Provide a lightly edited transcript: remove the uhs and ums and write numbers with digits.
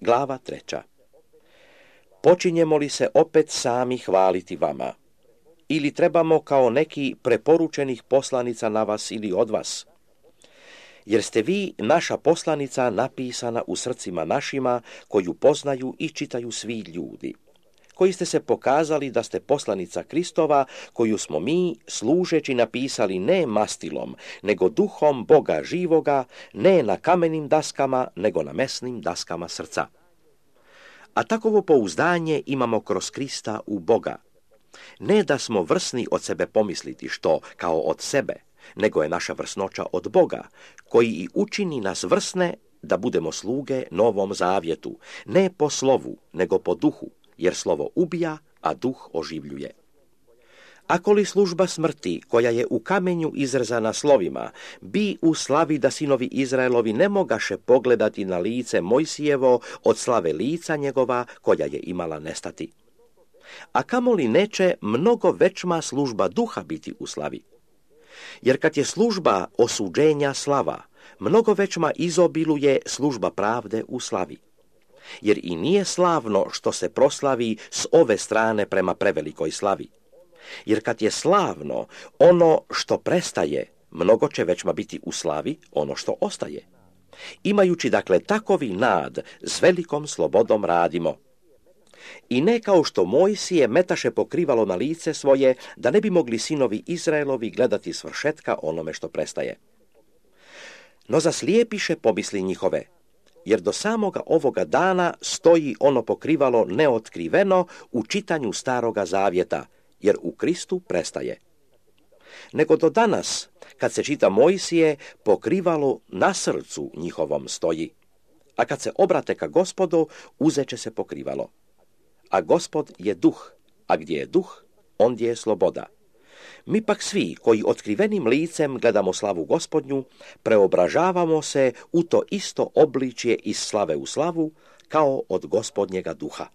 Glava 3. Počinjemo li se opet sami hvaliti vama? Ili trebamo kao neki preporučenih poslanica na vas ili od vas? Jer ste vi naša poslanica napisana u srcima našima, koju poznaju i čitaju svi ljudi, koji ste se pokazali da ste poslanica Kristova, koju smo mi, služeći, napisali ne mastilom, nego duhom Boga živoga, ne na kamenim daskama, nego na mesnim daskama srca. A takovo pouzdanje imamo kroz Krista u Boga. Ne da smo vrsni od sebe pomisliti što kao od sebe, nego je naša vrsnoća od Boga, koji i učini nas vrsne da budemo sluge novom zavjetu, ne po slovu, nego po duhu, jer slovo ubija, a duh oživljuje. Ako li služba smrti, koja je u kamenju izrezana slovima, bi u slavi da sinovi Izraelovi ne mogaše pogledati na lice Mojsijevo od slave lica njegova, koja je imala nestati. A kamoli neće mnogo većma služba duha biti u slavi. Jer kad je služba osuđenja slava, mnogo većma izobiluje služba pravde u slavi. Jer i nije slavno što se proslavi s ove strane prema prevelikoj slavi. Jer kad je slavno ono što prestaje, mnogo će većma biti u slavi ono što ostaje. Imajući dakle takovi nad, s velikom slobodom radimo. I ne kao što Mojsije metaše pokrivalo na lice svoje, da ne bi mogli sinovi Izraelovi gledati svršetka onome što prestaje. No zaslijepiše pomisli njihove, jer do samoga ovoga dana stoji ono pokrivalo neotkriveno u čitanju Staroga zavjeta, jer u Kristu prestaje. Nego do danas, kad se čita Mojsije, pokrivalo na srcu njihovom stoji, a kad se obrate ka Gospodu, uzeće se pokrivalo. A Gospod je duh, a gdje je duh, ondje je sloboda. Mi pak svi, koji otkrivenim licem gledamo slavu Gospodnju, preobražavamo se u to isto obličje iz slave u slavu, kao od Gospodnjega duha.